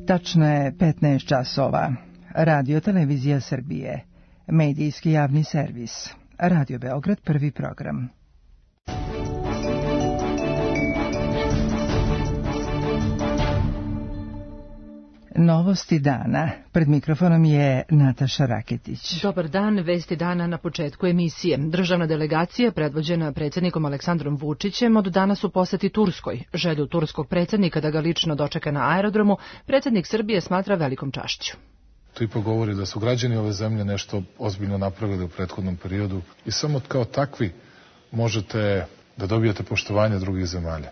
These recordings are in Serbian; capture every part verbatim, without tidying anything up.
Tačno je petnaest časova. Radio Televizija Srbije. Medijski javni servis. Radio Beograd, prvi program. Novosti dana. Pred mikrofonom je Nataša Raketić. Dobar dan, vesti dana na početku emisije. Državna delegacija, predvođena predsjednikom Aleksandrom Vučićem, od danas u poseti Turskoj. Želju turskog predsjednika da ga lično dočeka na aerodromu, predsjednik Srbije smatra velikom čašću. To ipak govori da su građani ove zemlje nešto ozbiljno napravili u prethodnom periodu i samo kao takvi možete da dobijete poštovanje drugih zemalja.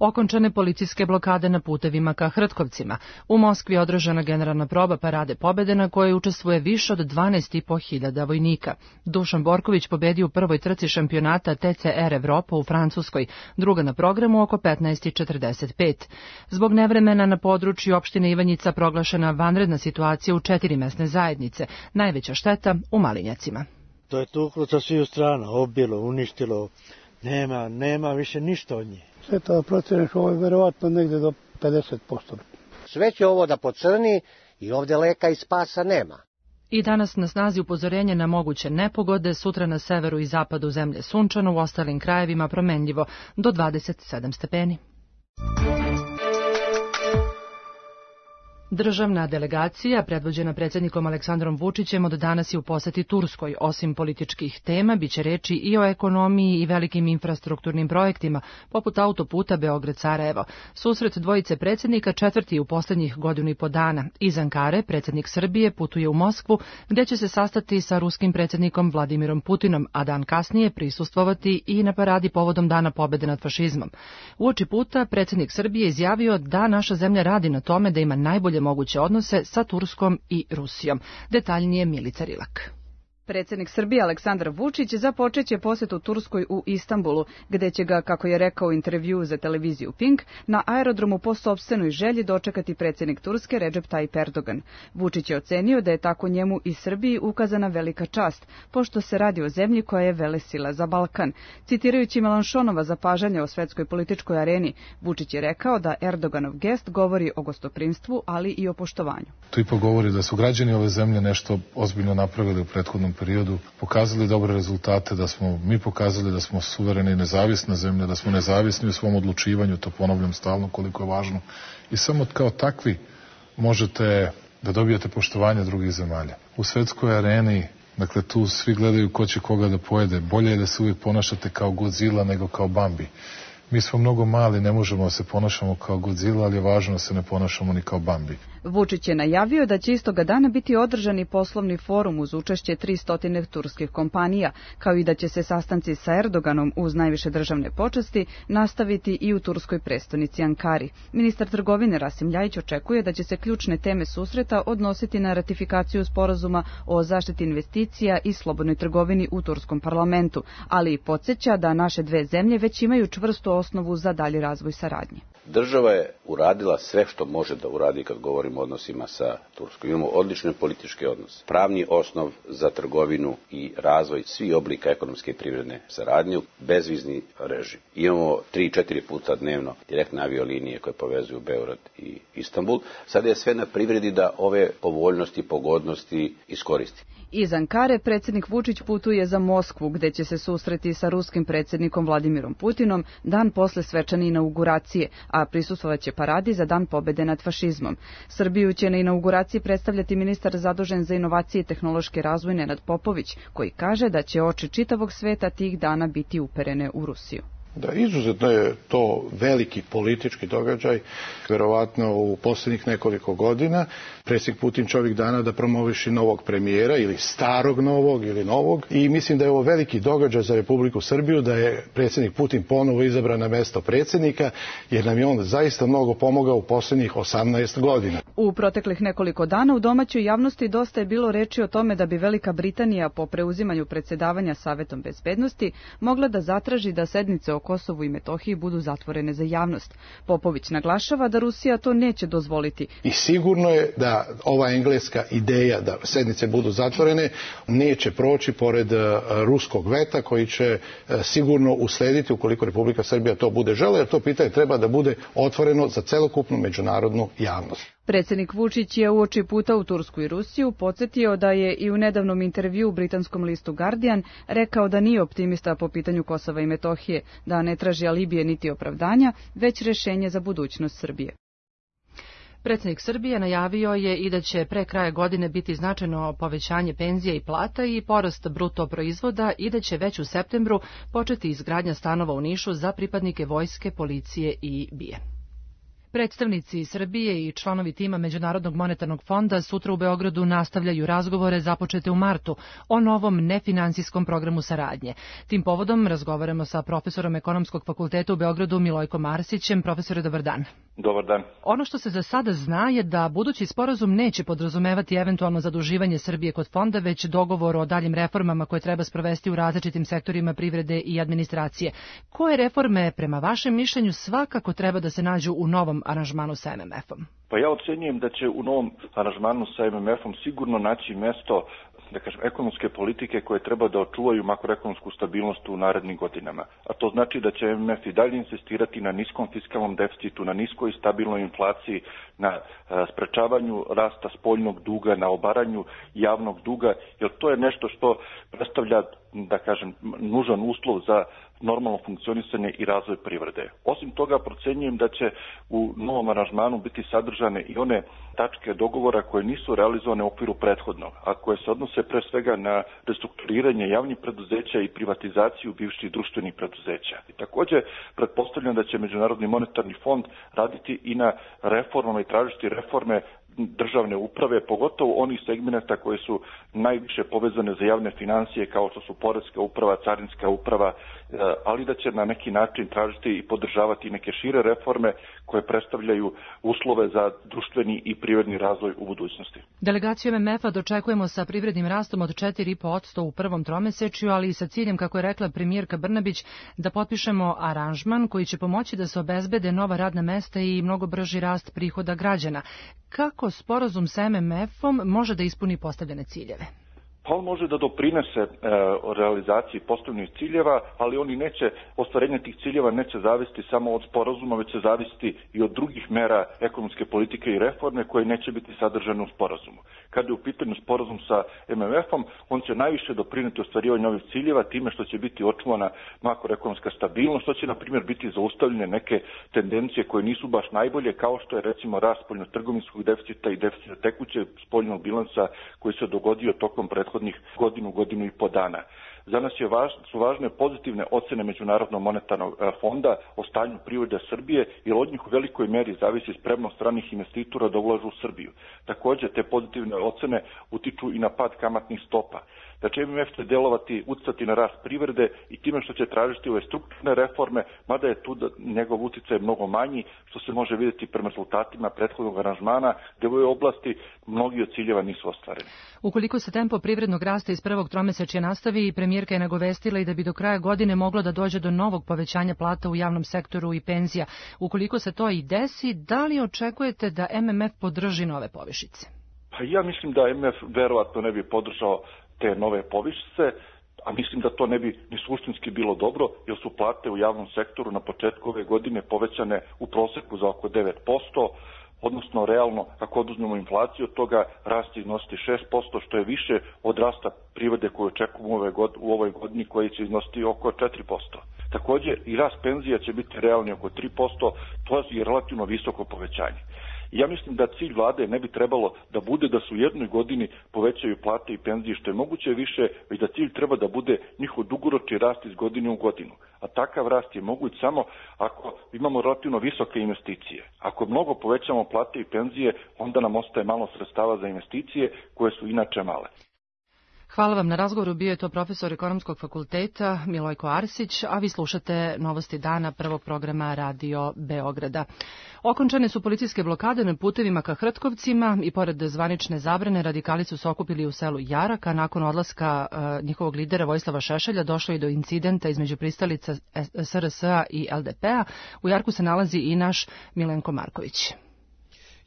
Okončane policijske blokade na putevima ka Hrtkovcima. U Moskvi je održana generalna proba Parade pobede na kojoj učestvuje više od dvanaest i po hiljada vojnika. Dušan Borković pobedio u prvoj trci šampionata T C R Evropa u Francuskoj, druga na programu oko petnaest i četrdeset pet. Zbog nevremena na području opštine Ivanjica proglašena vanredna situacija u četiri mesne zajednice, najveća šteta u Malinjacima. To je tuklo sa sviju strana, obilo, uništilo, nema, nema više ništa od nje. Sve to procjeniš, ovo je verovatno negde do pedeset posto. Sve će ovo da pocrni i ovde leka i spasa nema. I danas na snazi upozorenje na moguće nepogode, sutra na severu i zapadu zemlje sunčano, u ostalim krajevima promenljivo do dvadeset sedam stepeni. Državna delegacija, predvođena predsjednikom Aleksandrom Vučićem, od danas je u poseti Turskoj. Osim političkih tema, biće reči i o ekonomiji i velikim infrastrukturnim projektima, poput autoputa Beograd-Sarajevo. Susret dvojice predsjednika četvrti u posljednjih godinu i po dana. Iz Ankare predsjednik Srbije putuje u Moskvu, gdje će se sastati sa ruskim predsjednikom Vladimirom Putinom, a dan kasnije prisustvovati i na paradi povodom Dana pobjede nad fašizmom. Uoči puta predsjednik Srbije izjavio da naša zemlja radi na tome da ima najbolje moguće odnose sa Turskom i Rusijom. Detaljnije Milica Rilak. Predsjednik Srbije Aleksandar Vučić započeće posjetu Turskoj u Istanbulu, gde će ga, kako je rekao u intervjuu za televiziju Pink, na aerodromu po sopstvenoj želji dočekati predsjednik Turske Recep Tayyip Erdogan. Vučić je ocenio da je tako njemu i Srbiji ukazana velika čast, pošto se radi o zemlji koja je velesila za Balkan. Citirajući Melanchonova zapažanja o svetskoj političkoj areni, Vučić je rekao da Erdoganov gest govori o gostoprimstvu, ali i o poštovanju. To ipak govori da su građani ove zemlje nešto ozbiljno napravili u prethodnom periodu, pokazali dobre rezultate, da smo mi pokazali da smo suverena i nezavisna zemlja, da smo nezavisni u svom odlučivanju, to ponavljam stalno koliko je važno. I samo kao takvi možete da dobijete poštovanje drugih zemalja. U svetskoj areni, dakle tu svi gledaju ko će koga da pojede. Bolje je da se uvijek ponašate kao Godzilla nego kao Bambi. Mi smo mnogo mali, ne možemo da se ponašamo kao Godzilla, ali je važno da se ne ponašamo ni kao Bambi. Vučić je najavio da će istoga dana biti održani poslovni forum uz učešće tristo turskih kompanija, kao i da će se sastanci sa Erdoganom uz najviše državne počasti nastaviti i u turskoj prestonici Ankari. Ministar trgovine Rasim Ljajić očekuje da će se ključne teme susreta odnositi na ratifikaciju sporazuma o zaštiti investicija i slobodnoj trgovini u turskom parlamentu, ali i podsjeća da naše dve zemlje već imaju čvrstu osnovu za dalji razvoj saradnje. Država je uradila sve što može da uradi kad govorimo o odnosima sa Turskom. Imamo odlične političke odnose, pravni osnov za trgovinu i razvoj svih oblika ekonomske i privredne saradnje, bezvizni režim. Imamo tri, četiri puta dnevno direktne aviolinije koje povezuju Beograd i Istanbul. Sada je sve na privredi da ove povoljnosti, pogodnosti iskoristi. Iz Ankare predsjednik Vučić putuje za Moskvu, gde će se susreti sa ruskim predsjednikom Vladimirom Putinom dan posle svečane inauguracije, a prisustvovaće paradi za Dan pobjede nad fašizmom. Srbiju će na inauguraciji predstavljati ministar zadužen za inovacije i tehnološki razvoj Nenad Popović, koji kaže da će oči čitavog sveta tih dana biti uperene u Rusiju. Da, izuzetno je to veliki politički događaj, verovatno u posljednjih nekoliko godina. Predsjednik Putin će ovih dana da promoviši novog premijera ili starog novog ili novog i mislim da je ovo veliki događaj za Republiku Srbiju, da je predsjednik Putin ponovo izabran na mesto predsjednika, jer nam je on zaista mnogo pomogao u posljednjih osamnaest godina. U proteklih nekoliko dana u domaćoj javnosti dosta je bilo reči o tome da bi Velika Britanija po preuzimanju predsjedavanja Savetom bezbednosti mogla da zatraži da sednice o Kosovu i Metohiji budu zatvorene za javnost. Popović naglašava da Rusija to neće dozvoliti. I sigurno je da ova engleska ideja da sednice budu zatvorene neće proći pored ruskog veta koji će sigurno uslediti ukoliko Republika Srbija to bude želela, jer to pitanje treba da bude otvoreno za celokupnu međunarodnu javnost. Predsjednik Vučić je uoči puta u Tursku i Rusiju podsjetio da je i u nedavnom intervju u britanskom listu Guardian rekao da nije optimista po pitanju Kosova i Metohije, da ne traži alibije niti opravdanja, već rješenje za budućnost Srbije. Predsjednik Srbije najavio je i da će pre kraja godine biti značajno povećanje penzija i plata i porast bruto proizvoda i da će već u septembru početi izgradnja stanova u Nišu za pripadnike vojske, policije i B I A. Predstavnici Srbije i članovi tima Međunarodnog monetarnog fonda sutra u Beogradu nastavljaju razgovore započete u martu o novom nefinansijskom programu saradnje. Tim povodom razgovaramo sa profesorom Ekonomskog fakulteta u Beogradu Milojkom Arsićem. Profesore, dobar dan. Dobar dan. Ono što se za sada zna je da budući sporazum neće podrazumevati eventualno zaduživanje Srbije kod fonda, već dogovor o daljim reformama koje treba sprovesti u različitim sektorima privrede i administracije. Koje reforme, prema vašem mišljenju, svakako treba da se nađu u novom aranžmanu sa M M F-om? Pa ja ocenjujem da će u novom aranžmanu sa M M F-om sigurno naći mesto, da kažem, ekonomske politike koje treba da očuvaju makroekonomsku stabilnost u narednim godinama. A to znači da će M M F i dalje insistirati na niskom fiskalnom deficitu, na niskoj i stabilnoj inflaciji, na sprečavanju rasta spoljnog duga, na obaranju javnog duga, jer to je nešto što predstavlja, da kažem, nužan uslov za normalno funkcionisanje i razvoj privrede. Osim toga, procenjujem da će u novom aranžmanu biti sadržane i one tačke dogovora koje nisu realizovane u okviru prethodnog, a koje se odnose pre svega na restrukturiranje javnih preduzeća i privatizaciju bivših društvenih preduzeća. I također, pretpostavljam da će Međunarodni monetarni fond raditi i na reformama i tražiti reforme državne uprave, pogotovo onih segmenata koje su najviše povezane za javne financije, kao što su poreska uprava, carinska uprava, ali da će na neki način tražiti i podržavati neke šire reforme koje predstavljaju uslove za društveni i privredni razvoj u budućnosti. Delegaciju M M F-a dočekujemo sa privrednim rastom od četiri zarez pet posto u prvom tromesečju, ali i sa ciljem, kako je rekla premijerka Brnabić, da potpišemo aranžman koji će pomoći da se obezbede nova radna mesta i mnogo brži rast prihoda građana. Kako sporazum sa M M F-om može da ispuni postavljene ciljeve? Pa on može da doprinese e, realizaciji postavljenih ciljeva, ali oni neće, ostvarenje tih ciljeva neće zavisiti samo od sporazuma, već će zavisiti i od drugih mera ekonomske politike i reforme koje neće biti sadržane u sporazumu. Kada je u pitanju sporazum sa M M F-om, on će najviše doprineti ostvarivanju ovih ciljeva time što će biti očuvana makroekonomska stabilnost, što će, na primjer, biti zaustavljene neke tendencije koje nisu baš najbolje, kao što je, recimo, rast spoljnotrgovinskog deficita i deficita tekuće spoljnog bilansa koji se dogodio tokom prethodnih godinu, godinu i po dana. Za nas je važ, su važne pozitivne ocene Međunarodnog monetarnog fonda o stanju privrede Srbije, jer od njih u velikoj meri zavisi spremnost stranih investitora da ulažu u Srbiju. Također, te pozitivne ocene utiču i na pad kamatnih stopa. Da će M M F će delovati, uticati na rast privrede i time što će tražiti ove strukturne reforme, mada je tu da njegov uticaj mnogo manji, što se može vidjeti prema rezultatima prethodnog aranžmana, gdje u ovoj oblasti mnogi od ciljeva nisu ostvareni. Ukoliko se tempo privrednog rasta iz prvog tromesečja nastavi, premijerka je nagovestila i da bi do kraja godine moglo da dođe do novog povećanja plata u javnom sektoru i penzija. Ukoliko se to i desi, da li očekujete da M M F podrži nove povišice? Pa ja mislim da M M F verovatno ne bi podržao te nove povišice, a mislim da to ne bi ni suštinski bilo dobro, jer su plate u javnom sektoru na početku ove godine povećane u proseku za oko devet posto, odnosno realno, ako oduzmemo inflaciju, od toga rast iznositi šest posto, što je više od rasta privrede koju očekujemo u ovoj godini, koji će iznositi oko četiri posto. Također, i rast penzija će biti realni oko tri posto, to je relativno visoko povećanje. Ja mislim da cilj vlade ne bi trebalo da bude da se u jednoj godini povećaju plate i penzije što je moguće više, već da cilj treba da bude njihov dugoročni rast iz godine u godinu. A takav rast je moguć samo ako imamo relativno visoke investicije. Ako mnogo povećamo plate i penzije, onda nam ostaje malo sredstava za investicije koje su inače male. Hvala vam na razgovoru. Bio je to profesor Ekonomskog fakulteta Milojko Arsić, a vi slušate Novosti dana prvog programa Radio Beograda. Okončane su policijske blokade na putevima ka Hrtkovcima i pored zvanične zabrane radikali su se okupili u selu Jarak, a nakon odlaska uh, njihovog lidera Vojislava Šešelja došlo je do incidenta između pristalica S R S-a i L D P-a. U Jarku se nalazi i naš Milenko Marković.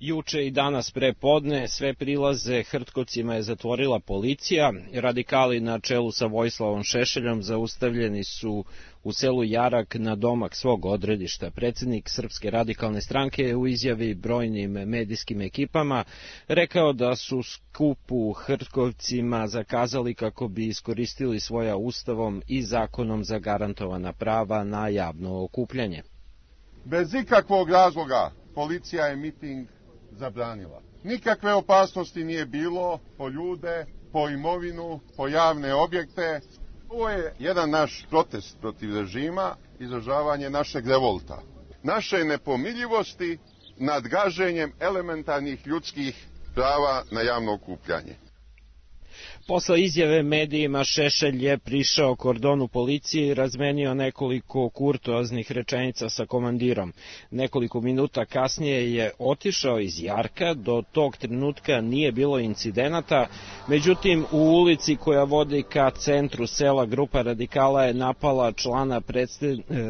Juče i danas pre podne sve prilaze Hrtkovcima je zatvorila policija. Radikali na čelu sa Vojislavom Šešeljom zaustavljeni su u selu Jarak na domak svog odredišta. Predsjednik Srpske radikalne stranke je u izjavi brojnim medijskim ekipama rekao da su skup u Hrtkovcima zakazali kako bi iskoristili svoja ustavom i zakonom zagarantovana prava na javno okupljanje. Bez ikakvog razloga policija je miting zabranila. Nikakve opasnosti nije bilo po ljude, po imovinu, po javne objekte. Ovo je jedan naš protest protiv režima, izražavanje našeg revolta, naše nepomiljivosti nad gaženjem elementarnih ljudskih prava na javno okupljanje. Posle izjave medijima Šešelj je prišao kordonu policije i razmenio nekoliko kurtoaznih rečenica sa komandirom. Nekoliko minuta kasnije je otišao iz Jarka, do tog trenutka nije bilo incidenata, međutim u ulici koja vodi ka centru sela grupa radikala je napala člana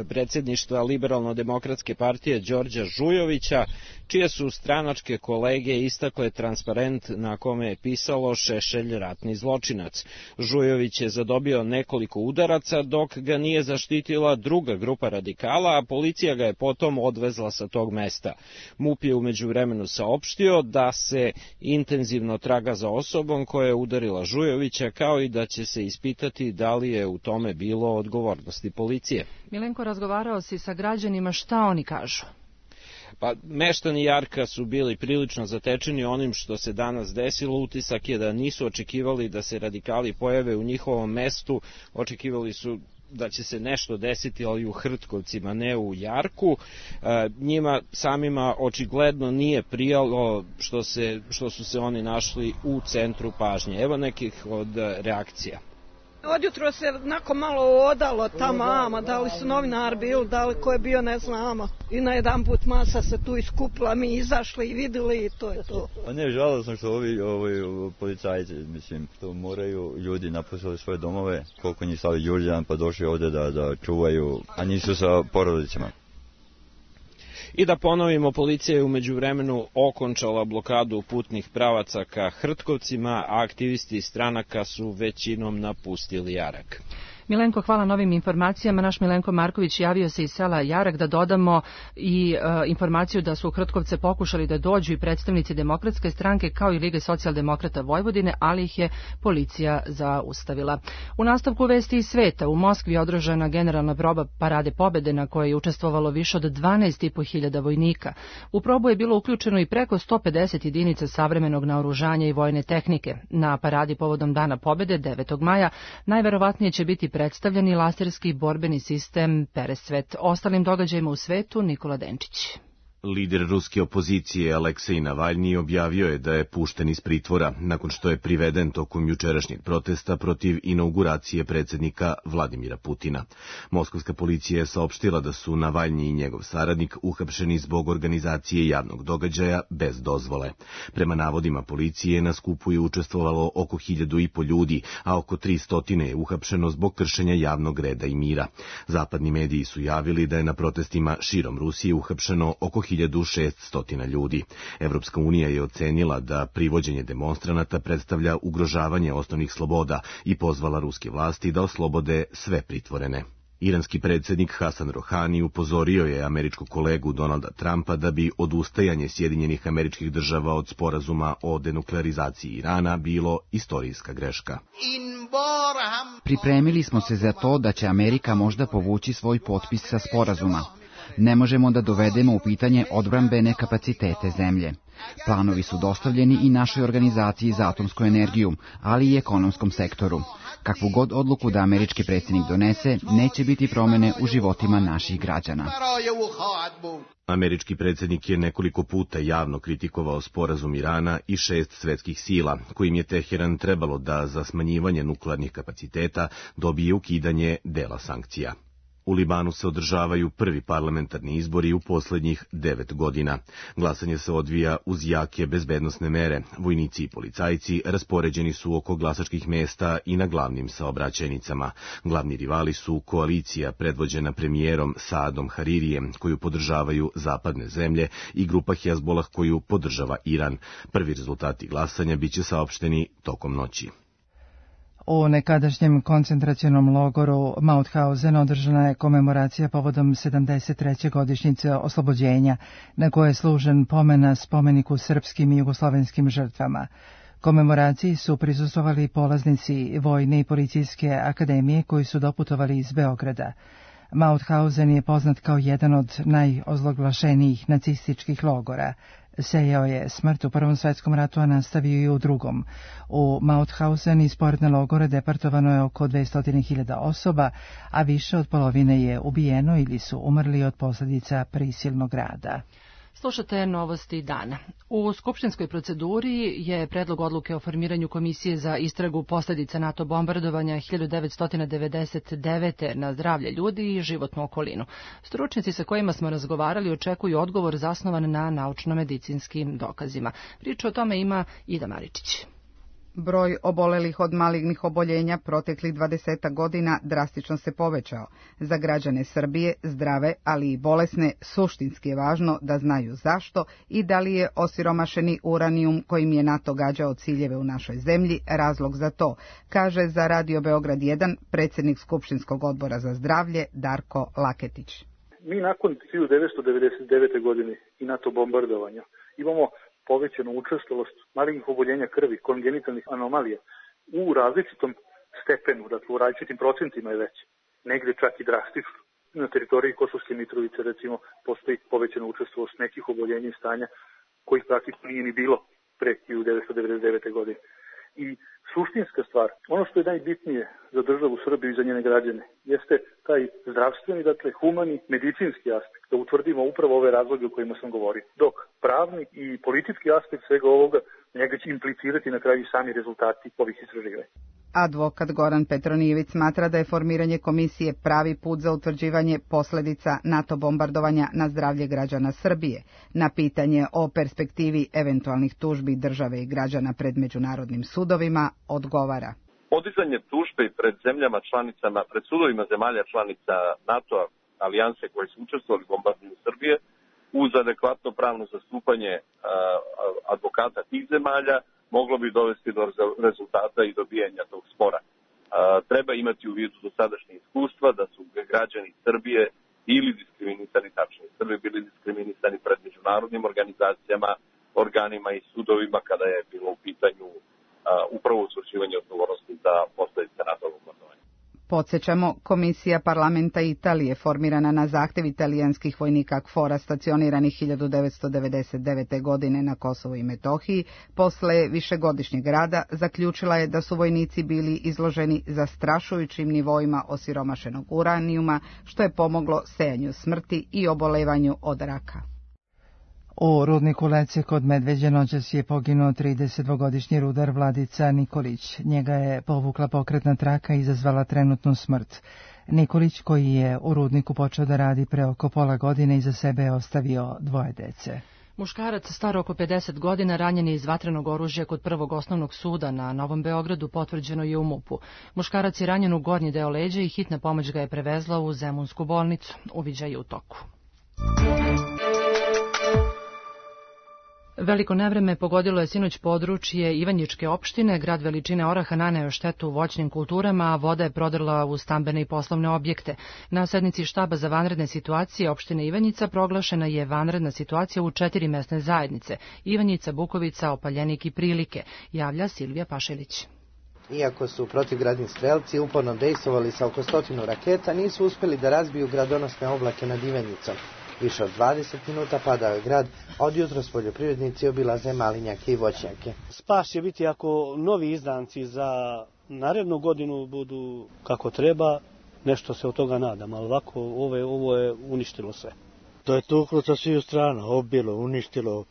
predsjedništva Liberalno-demokratske partije Đorđa Žujovića, čije su stranačke kolege istakle transparent na kome je pisalo Šešelj ratni zločinac. Žujović je zadobio nekoliko udaraca dok ga nije zaštitila druga grupa radikala, a policija ga je potom odvezla sa tog mesta. MUP je u međuvremenu saopštio da se intenzivno traga za osobom koja je udarila Žujovića, kao i da će se ispitati da li je u tome bilo odgovornosti policije. Milenko, razgovarao si sa građanima, šta oni kažu? Pa, meštani Jarka su bili prilično zatečeni onim što se danas desilo. Utisak je da nisu očekivali da se radikali pojave u njihovom mestu, očekivali su da će se nešto desiti, ali u Hrtkovcima, ne u Jarku. E, njima samima očigledno nije prijalo što, se, što su se oni našli u centru pažnje. Evo nekih od reakcija. Odjutro se nakon malo odalo tamo, ama, da li su novinari bili, da li ko je bio, ne znamo. I na jedan put masa se tu iskupila, mi izašli i vidjeli i to je to. Pa ne, žalosno što ovi, ovi policajci, mislim, to moraju ljudi napustili svoje domove, koliko njih stali Đurđan, pa došli ovdje da, da čuvaju, a nisu sa porodicama. I da ponovimo, policija je u međuvremenu okončala blokadu putnih pravaca ka Hrtkovcima, a aktivisti stranaka su većinom napustili Jarak. Milenko, hvala novim informacijama. Naš Milenko Marković javio se iz sela Jarak. Da dodamo i e, informaciju da su u Hrtkovce pokušali da dođu i predstavnici Demokratske stranke kao i Lige socijaldemokrata Vojvodine, ali ih je policija zaustavila. U nastavku vesti iz sveta, u Moskvi je održana generalna proba Parade pobede na kojoj je učestvovalo više od dvanaest i po hiljada vojnika. U probu je bilo uključeno i preko sto pedeset jedinica savremenog naoružanja i vojne tehnike. Na paradi povodom Dana pobede devetog maja najverovatnije će biti predstavljeni laserski borbeni sistem Peresvet. Ostalim događajima u svetu Nikola Denčić. Lider ruske opozicije Aleksej Navalnji objavio je da je pušten iz pritvora nakon što je priveden tokom jučerašnjeg protesta protiv inauguracije predsjednika Vladimira Putina. Moskovska policija je saopštila da su Navalnji i njegov saradnik uhapšeni zbog organizacije javnog događaja bez dozvole. Prema navodima policije na skupu je učestvovalo oko hiljadu i po ljudi, a oko tristotine je uhapšeno zbog kršenja javnog reda i mira. Zapadni mediji su javili da je na protestima širom Rusije uhapšeno oko hiljadu šesnaest ljudi. Evropska unija je ocenila da privođenje demonstranata predstavlja ugrožavanje osnovnih sloboda i pozvala ruske vlasti da oslobode sve pritvorene. Iranski predsjednik Hasan Rohani upozorio je američkog kolegu Donalda Trumpa da bi odustajanje Sjedinjenih Američkih Država od sporazuma o denuklearizaciji Irana bilo istorijska greška. Pripremili smo se za to da će Amerika možda povući svoj potpis sa sporazuma. Ne možemo da dovedemo u pitanje odbrambene kapacitete zemlje. Planovi su dostavljeni i našoj organizaciji za atomsku energiju, ali i ekonomskom sektoru. Kakvu god odluku da američki predsjednik donese, neće biti promjene u životima naših građana. Američki predsjednik je nekoliko puta javno kritikovao sporazum Irana i šest svetskih sila, kojim je Teheran trebalo da za smanjivanje nuklearnih kapaciteta dobije ukidanje dela sankcija. U Libanu se održavaju prvi parlamentarni izbori u poslednjih devet godina. Glasanje se odvija uz jake bezbednosne mere. Vojnici i policajci raspoređeni su oko glasačkih mesta i na glavnim saobraćajnicama. Glavni rivali su koalicija predvođena premijerom Saadom Haririjem, koju podržavaju zapadne zemlje, i grupa Hezbolah koju podržava Iran. Prvi rezultati glasanja biće saopšteni tokom noći. U nekadašnjem koncentracionom logoru Mauthausen održana je komemoracija povodom sedamdeset treće godišnjice oslobođenja, na koje je služen pomen spomeniku srpskim i jugoslovenskim žrtvama. Komemoraciji su prisustvovali polaznici Vojne i policijske akademije koji su doputovali iz Beograda. Mauthausen je poznat kao jedan od najozloglašenijih nacističkih logora. Sejao je smrt u Prvom svetskom ratu, a nastavio i u Drugom. U Mauthausen iz poredne logore deportovano je oko dvesta hiljada osoba, a više od polovine je ubijeno ili su umrli od posljedica prisilnog rada. Slušate novosti dana. U skupštinskoj proceduri je predlog odluke o formiranju komisije za istragu posljedica NATO bombardovanja hiljadu devetsto devedeset devete na zdravlje ljudi i životnu okolinu. Stručnjaci sa kojima smo razgovarali očekuju odgovor zasnovan na naučno-medicinskim dokazima. Priču o tome ima Ida Maričić. Broj obolelih od malignih oboljenja proteklih dvadeset godina drastično se povećao. Za građane Srbije, zdrave, ali i bolesne, suštinski je važno da znaju zašto i da li je osiromašeni uranijum kojim je NATO gađao ciljeve u našoj zemlji razlog za to, kaže za Radio Beograd jedan predsjednik Skupštinskog odbora za zdravlje Darko Laketić. Mi nakon hiljadu devetsto devedeset devete. godine i NATO bombardovanja imamo povećanu učestalost malignih oboljenja krvi, kongenitalnih anomalija u različitom stepenu, dakle u različitim procentima je već, negde čak i drastično. Na teritoriji Kosovske Mitrovice, recimo, postoji povećana učestalost nekih oboljenja i stanja kojih praktično nije ni bilo pre hiljadu devetsto devedeset devete. godine. I suštinska stvar, ono što je najbitnije za državu Srbiju i za njene građane, jeste taj zdravstveni, dakle humani, medicinski aspekt, da utvrdimo upravo ove razloge o kojima sam govorio. Dok pravni i politički aspekt svega ovoga, njega će implicirati na kraju sami rezultati ovih istraživanja. Advokat Goran Petronijević smatra da je formiranje komisije pravi put za utvrđivanje posljedica NATO bombardovanja na zdravlje građana Srbije. Na pitanje o perspektivi eventualnih tužbi države i građana pred međunarodnim sudovima odgovara. Podizanje tužbe pred zemljama članicama, pred sudovima zemalja članica NATO alijanse koje su učestvovali u bombardiranju Srbije, uz adekvatno pravno zastupanje a, advokata tih zemalja, moglo bi dovesti do rezultata i dobijanja tog spora. A, treba imati u vidu dosadašnje iskustva da su građani Srbije ili diskriminisani, tačnije Srbije bili diskriminisani pred međunarodnim organizacijama, organima i sudovima kada je bilo u pitanju a, upravo utvrđivanje odgovornosti za posljedice NATO bombardovanja. Podsjećamo, komisija parlamenta Italije formirana na zahtjev italijanskih vojnika KFOR-a stacioniranih hiljadu devetsto devedeset devete. godine na Kosovu i Metohiji, posle višegodišnjeg rada zaključila je da su vojnici bili izloženi zastrašujućim nivoima osiromašenog uranijuma, što je pomoglo sejanju smrti i obolevanju od raka. U rudniku Lece kod Medveđe noćas je poginuo tridesetdvogodišnji rudar Vladica Nikolić. Njega je povukla pokretna traka i izazvala trenutnu smrt. Nikolić, koji je u rudniku počeo da radi pre oko pola godine, iza sebe je ostavio dvoje dece. Muškarac star oko pedeset godina ranjen je iz vatrenog oružja kod Prvog osnovnog suda na Novom Beogradu, potvrđeno je u MUP-u. Muškarac je ranjen u gornji deo leđa i hitna pomoć ga je prevezla u Zemunsku bolnicu. Uviđaj je u toku. Veliko nevreme pogodilo je sinoć područje Ivanjičke opštine. Grad veličine oraha naneo štetu voćnim kulturama, a voda je prodrla u stambene i poslovne objekte. Na sednici štaba za vanredne situacije opštine Ivanjica proglašena je vanredna situacija u četiri mesne zajednice: Ivanjica, Bukovica, Opaljenik i Prilike, javlja Silvija Pašelić. Iako su protivgradni strelci uporno dejstvovali sa oko stotinu raketa, nisu uspjeli da razbiju gradonosne oblake nad Ivanjicom. Više od dvadeset minuta padao je grad, a od jutros poljoprivrednici obilaze malinjake i voćnjake. Spas će biti ako novi izdanci za narednu godinu budu kako treba, nešto se od toga nadam, ali ovako ovo je, ovo je uništilo sve. To je tuklo sa sviju strana, obilo, uništilo,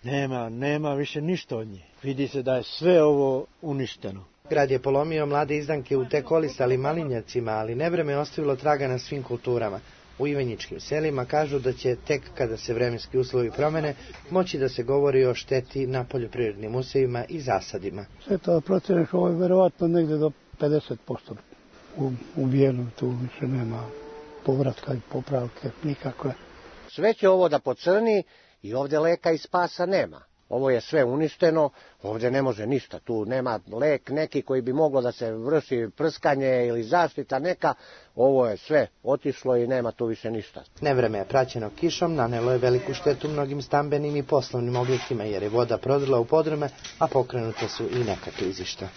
nema, nema više ništa od nje. Vidi se da je sve ovo uništeno. Grad je polomio mlade izdanke u tek olistalim malinjacima, ali nevreme je ostavilo traga na svim kulturama. U ivanjičkim selima kažu da će tek kada se vremenski uslovi promene moći da se govori o šteti na poljoprivrednim usevima i zasadima. Sve to proceneš, ovo je verovatno negde do pedeset posto ubijeno, tu više nema povratka i popravke nikakve. Sve će ovo da pocrni i ovde leka i spasa nema. Ovo je sve uništeno, ovdje ne može ništa, tu nema lek neki koji bi moglo da se vrši prskanje ili zaštita neka, ovo je sve otišlo i nema tu više ništa. Nevreme je praćeno kišom, nanelo je veliku štetu mnogim stambenim i poslovnim objektima jer je voda prodrla u podrume, a pokrenute su i neka klizišta.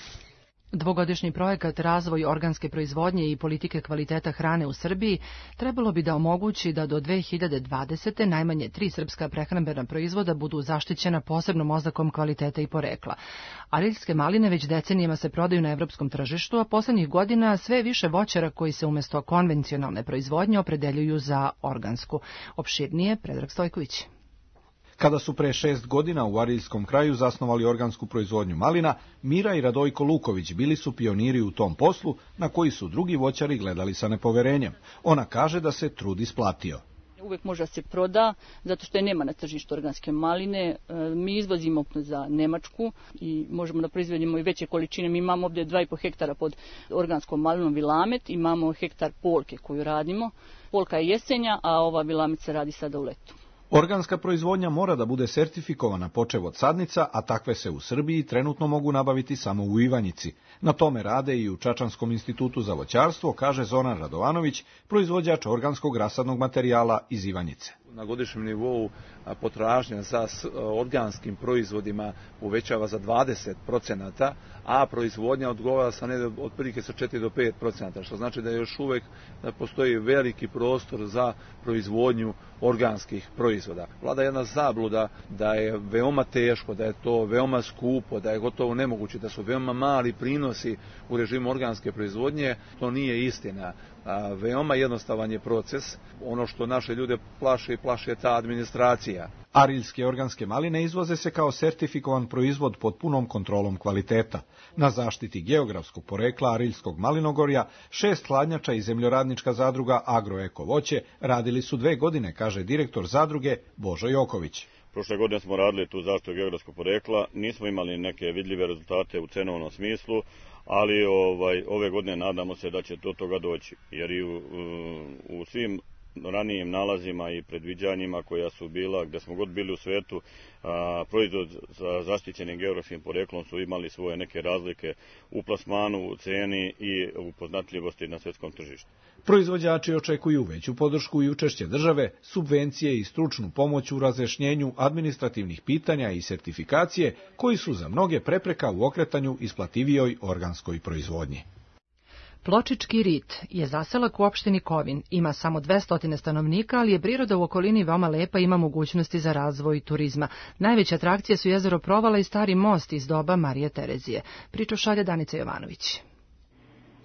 Dvogodišnji projekat Razvoj organske proizvodnje i politike kvaliteta hrane u Srbiji trebalo bi da omogući da do dve hiljade dvadesete. najmanje tri srpska prehrambena proizvoda budu zaštićena posebnom oznakom kvaliteta i porekla. Ariljske maline već decenijama se prodaju na evropskom tržištu, a poslednjih godina sve više voćara koji se umesto konvencionalne proizvodnje opredeljuju za organsku. Opširnije Predrag Stojković. Kada su pre šest godina u Ariljskom kraju zasnovali organsku proizvodnju malina, Mira i Radojko Luković bili su pioniri u tom poslu na koji su drugi voćari gledali sa nepoverenjem. Ona kaže da se trud isplatio. Uvek može da se proda, zato što je nema na tržištu organske maline. Mi izvozimo za Nemačku i možemo da proizvedemo i veće količine. Mi imamo ovdje dva i po hektara pod organskom malinom Vilamet, imamo hektar polke koju radimo. Polka je jesenja, a ova Vilamet se radi sada u letu. Organska proizvodnja mora da bude sertifikovana počev od sadnica, a takve se u Srbiji trenutno mogu nabaviti samo u Ivanjici. Na tome rade i u Čačanskom institutu za voćarstvo, kaže Zoran Radovanović, proizvođač organskog rasadnog materijala iz Ivanjice. Na godišnjem nivou potražnja za organskim proizvodima uvećava za dvadeset procenata, a proizvodnja odgovara sa negde otprilike sa četiri do pet procenata, što znači da još uvek postoji veliki prostor za proizvodnju organskih proizvoda. Vlada jedna zabluda da je veoma teško, da je to veoma skupo, da je gotovo nemoguće, da su veoma mali prinosi u režimu organske proizvodnje. To nije istina. A, veoma jednostavan je proces. Ono što naše ljude plaše i plaše je ta administracija. Ariljske organske maline izvoze se kao sertifikovan proizvod pod punom kontrolom kvaliteta. Na zaštiti geografskog porekla Ariljskog malinogorja šest hladnjača i zemljoradnička zadruga Agroeko voće radili su dve godine, kaže direktor zadruge Božo Joković. Prošle godine smo radili tu zaštitu geografskog porekla, nismo imali neke vidljive rezultate u cenovnom smislu, ali ovaj, ove godine nadamo se da će do toga doći, jer i u, u svim ranijim nalazima i predviđanjima koja su bila, gde smo god bili u svetu, a, proizvod za zaštićenim geografskim poreklom su imali svoje neke razlike u plasmanu, u ceni i u poznatljivosti na svetskom tržištu. Proizvođači očekuju veću podršku i učešće države, subvencije i stručnu pomoć u razjašnjenju administrativnih pitanja i sertifikacije, koji su za mnoge prepreka u okretanju isplativijoj organskoj proizvodnji. Pločički rit je zaselak u opštini Kovin. Ima samo dvesta stanovnika, ali je priroda u okolini veoma lepa i ima mogućnosti za razvoj turizma. Najveće atrakcije su jezero Provala i stari most iz doba Marije Terezije. Priču šalje Danica Jovanović.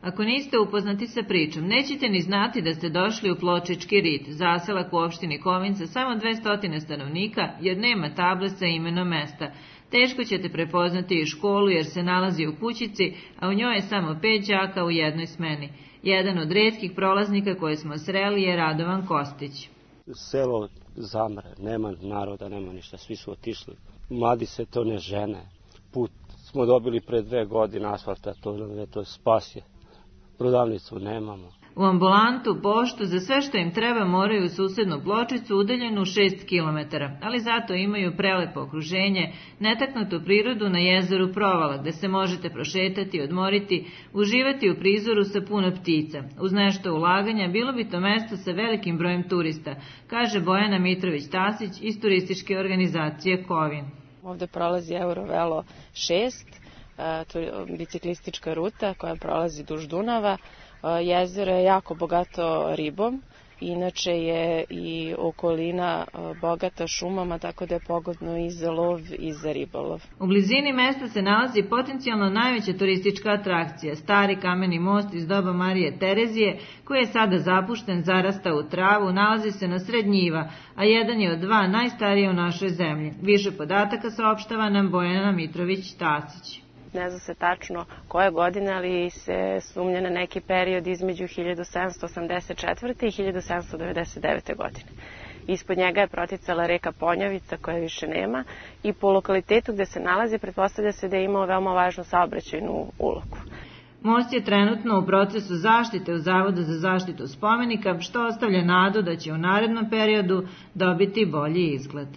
Ako niste upoznati sa pričom, nećete ni znati da ste došli u Pločički rit, zaselak u opštini Kovin sa samo dvesta stanovnika, jer nema table sa imenom mesta. Teško ćete prepoznati i školu jer se nalazi u kućici, a u njoj je samo pet đaka u jednoj smeni. Jedan od retkih prolaznika koje smo sreli je Radovan Kostić. Selo zamre, nema naroda, nema ništa, svi su otišli. Mladi se to ne žene. Put smo dobili pre dve godine asfalta, to nam je to spasje. Prodavnicu nemamo. U ambulantu, poštu, za sve što im treba moraju u susednu Pločicu udaljenu šest kilometara, ali zato imaju prelepo okruženje, netaknutu prirodu na jezeru Provala, gde se možete prošetati, odmoriti, uživati u prizoru sa puno ptica. Uz nešto ulaganja bilo bi to mesto sa velikim brojem turista, kaže Bojana Mitrović-Tasić iz turističke organizacije Kovin. Ovde prolazi Eurovelo šest, to je biciklistička ruta koja prolazi duž Dunava. Jezero je jako bogato ribom, inače je i okolina bogata šumama, tako da je pogodno i za lov i za ribolov. U blizini mesta se nalazi potencijalno najveća turistička atrakcija, stari kameni most iz doba Marije Terezije, koji je sada zapušten, zarasta u travu, nalazi se na sred njiva, a jedan je od dva najstarije u našoj zemlji. Više podataka saopštava nam Bojana Mitrović-Tasić. ne zna se tačno koje godine, ali se sumnja na neki period između hiljadu sedamsto osamdeset četvrte i hiljadu sedamsto devedeset devete. godine. Ispod njega je proticala reka Ponjavica, koje više nema, i po lokalitetu gde se nalazi pretpostavlja se da je imao veoma važnu saobraćajnu ulogu. Most je trenutno u procesu zaštite u Zavodu za zaštitu spomenika, što ostavlja nadu da će u narednom periodu dobiti bolji izgled.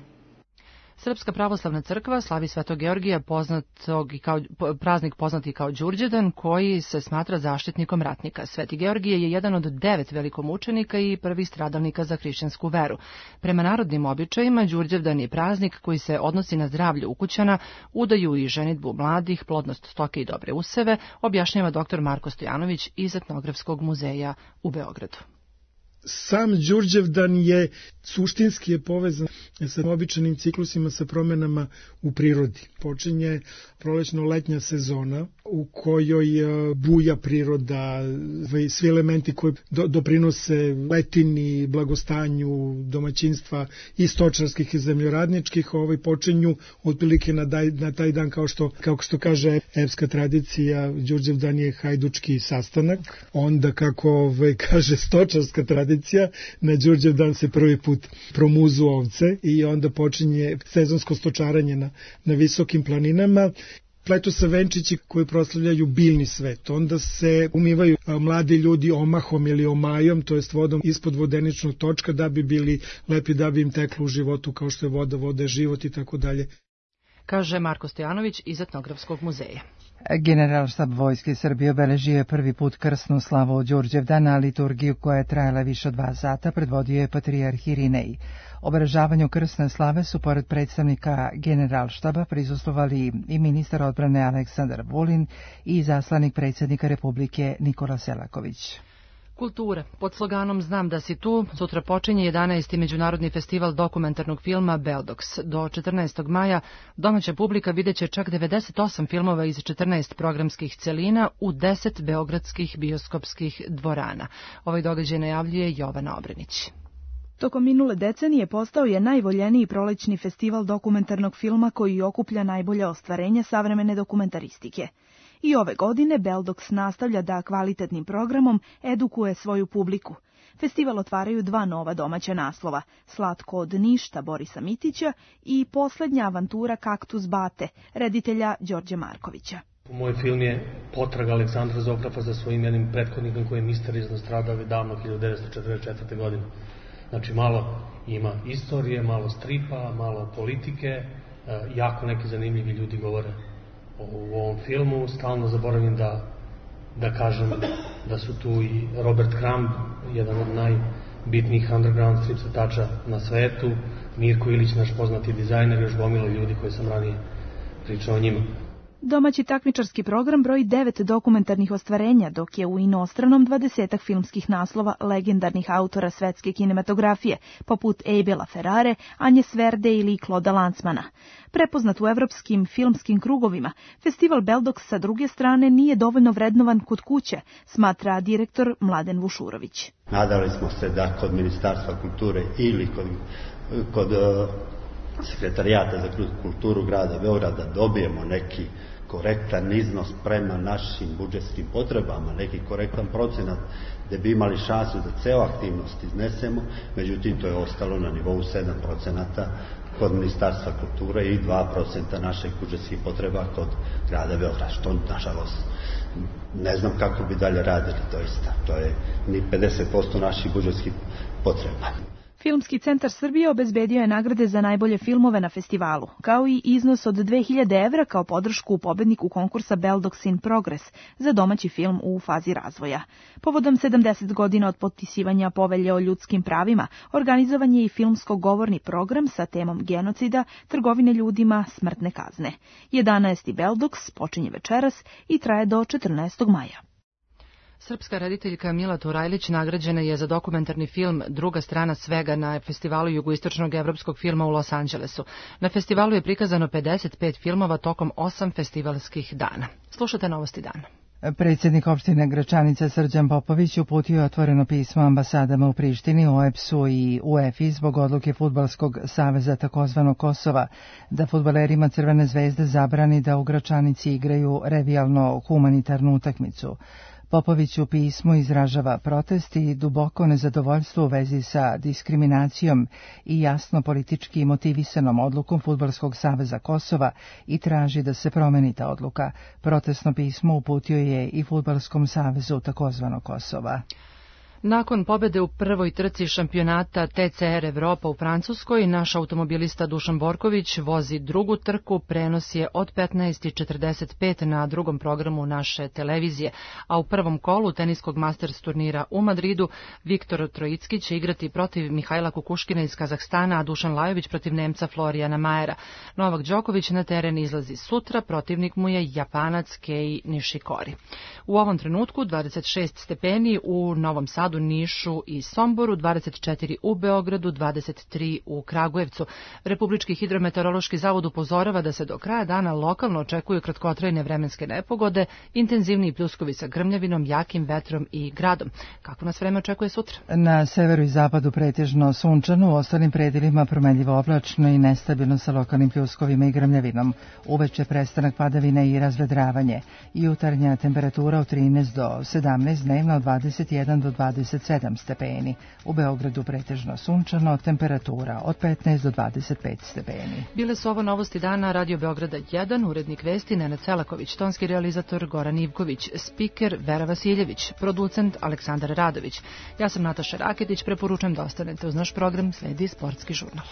Srpska pravoslavna crkva slavi Svetog Georgija, poznatog i kao, praznik poznati kao Đurđevdan, koji se smatra zaštitnikom ratnika. Sveti Georgije je jedan od devet velikomučenika i prvi stradalnika za hrišćansku veru. Prema narodnim običajima, Đurđevdan je praznik koji se odnosi na zdravlje ukućana, udaju i ženidbu mladih, plodnost stoke i dobre useve, objašnjava doktor Marko Stojanović iz Etnografskog muzeja u Beogradu. Sam Đurđevdan je suštinski je povezan sa običajnim ciklusima, sa promenama u prirodi. Počinje prolećno-letnja sezona u kojoj buja priroda, svi elementi koji do, doprinose letini, blagostanju domaćinstva i stočarskih i zemljoradničkih, ovaj počinju otprilike na, daj, na taj dan, kao što, kao što kaže epska tradicija, Đurđevdan je hajdučki sastanak. Onda, kako ovaj, kaže stočarska tradicija, na Đurđevdan se prvi put promuzu ovce i onda počinje sezonsko stočaranje na, na visokim planinama. Pletu se venčići koji proslavljaju biljni svet. Onda se umivaju mladi ljudi omahom ili omajom, to jest vodom ispod vodeničnog točka, da bi bili lepi, da bi im teklo u životu, kao što je voda, voda je život i tako dalje. Kaže Marko Stojanović iz Etnografskog muzeja. Generalštab Vojske Srbije obeležio je prvi put krsnu slavu od Đurđevdana, liturgiju koja je trajala više od dva sata predvodio je patrijarh Irinej. Obeležavanju krsne slave su pored predstavnika Generalštaba prisustvovali i ministar odbrane Aleksandar Vulin i zaslanik predsjednika Republike Nikola Selaković. Kultura. Pod sloganom Znam da si tu, sutra počinje jedanaesti Međunarodni festival dokumentarnog filma Beldox. Do četrnaestog maja domaća publika videće čak devedeset osam filmova iz četrnaest programskih celina u deset beogradskih bioskopskih dvorana. Ovaj događaj najavljuje Jovana Obrenić. Tokom minule decenije postao je najvoljeniji prolećni festival dokumentarnog filma koji okuplja najbolje ostvarenja savremene dokumentaristike. I ove godine Beldox nastavlja da kvalitetnim programom edukuje svoju publiku. Festival otvaraju dva nova domaća naslova, Slatko od ništa Borisa Mitića i Poslednja avantura Kaktus Bate, reditelja Đorđe Markovića. Moj film je potraga Aleksandra Zografa za svojim jednim prethodnikom koji je misterijno stradao davno hiljadu devetsto četrdeset četvrte. godine. Znači malo ima istorije, malo stripa, malo politike, jako neki zanimljivi ljudi govore u ovom filmu. Stalno zaboravim da, da kažem da su tu i Robert Crumb, jedan od najbitnijih underground strip crtača na svetu, Mirko Ilić, naš poznati dizajner, još gomilo ljudi koji sam ranije pričao o njima. Domaći takmičarski program broji devet dokumentarnih ostvarenja, dok je u inostranom dvadesetak filmskih naslova legendarnih autora svetske kinematografije, poput Abela Ferrare, Anje Sverde ili Kloda Lancmana. Prepoznat u evropskim filmskim krugovima, festival Beldox sa druge strane nije dovoljno vrednovan kod kuće, smatra direktor Mladen Vušurović. Nadali smo se da kod Ministarstva kulture ili kod, kod Sekretarijata za kulturu grada Beograda dobijemo neki korektan iznos prema našim budžetskim potrebama, neki korektan procenat da bi imali šansu da ceo aktivnost iznesemo, međutim to je ostalo na nivou sedam procenata kod Ministarstva kulture i dva procenta naših budžetskih potreba kod grada Beograda, što nažalost ne znam kako bi dalje radili, doista. To je ni pedeset posto naših budžetskih potreba. Filmski centar Srbije obezbedio je nagrade za najbolje filmove na festivalu, kao i iznos od dve hiljade evra kao podršku pobedniku konkursa Beldox in Progress za domaći film u fazi razvoja. Povodom sedamdeset godina od potpisivanja Povelje o ljudskim pravima, organizovan je i filmsko-govorni program sa temom genocida, trgovine ljudima, smrtne kazne. jedanaesti Beldox počinje večeras i traje do četrnaestog maja. Srpska rediteljka Mila Turajlić nagrađena je za dokumentarni film Druga strana svega na festivalu jugoistočnog evropskog filma u Los Angelesu. Na festivalu je prikazano pedeset pet filmova tokom osam festivalskih dana. Slušate Novosti dana. Predsjednik opštine Gračanica Srđan Popović uputio je otvoreno pismo ambasadama u Prištini, O E B S-u i U E F I zbog odluke Fudbalskog saveza takozvanog Kosova da fudbalerima Crvene zvezde zabrani da u Gračanici igraju revijalno humanitarnu utakmicu. Popović u pismu izražava protest i duboko nezadovoljstvo u vezi sa diskriminacijom i jasno politički motivisanom odlukom Fudbalskog saveza Kosova i traži da se promeni ta odluka. Protestno pismo uputio je i Fudbalskom savezu takozvanog Kosova. Nakon pobede u prvoj trci šampionata T C R Evropa u Francuskoj, naš automobilista Dušan Borković vozi drugu trku, prenos je od petnaest i četrdeset pet na drugom programu naše televizije, a u prvom kolu teniskog Masters turnira u Madridu Viktor Trojicki će igrati protiv Mihajla Kukuškina iz Kazahstana, a Dušan Lajović protiv Nemca Florijana Majera. Novak Đoković na teren izlazi sutra, protivnik mu je Japanac Kei Nishikori. U ovom trenutku dvadeset šest stepeni u Novom Sadu, Nišu i Somboru, dvadeset četiri u Beogradu, dvadeset tri u Kragujevcu. Republički hidrometeorološki zavod upozorava da se do kraja dana lokalno očekuju kratkotrajne vremenske nepogode, intenzivniji pljuskovi sa grmljavinom, jakim vetrom i gradom. Kako nas vreme očekuje sutra? Na severu i zapadu pretežno sunčano, u ostalim predelima promenljivo oblačno i nestabilno sa lokalnim pljuskovima i grmljavinom. Uveče prestanak padavina i razvedravanje. Jutarnja temperatura od trinaest do sedamnaest, dnevna od dvadeset jedan do dvadeset sedam stepeni. U Beogradu pretežno sunčano, temperatura od petnaest do dvadeset pet stepeni. Bile su ovo novosti dana Radio Beograda jedan, urednik vesti Nenad Selaković, tonski realizator Goran Ivković, spiker Vera Vasiljević, producent Aleksandar Radović. Ja sam Nataša Raketić, preporučujem da ostanete uz naš program, sledi Sportski žurnal.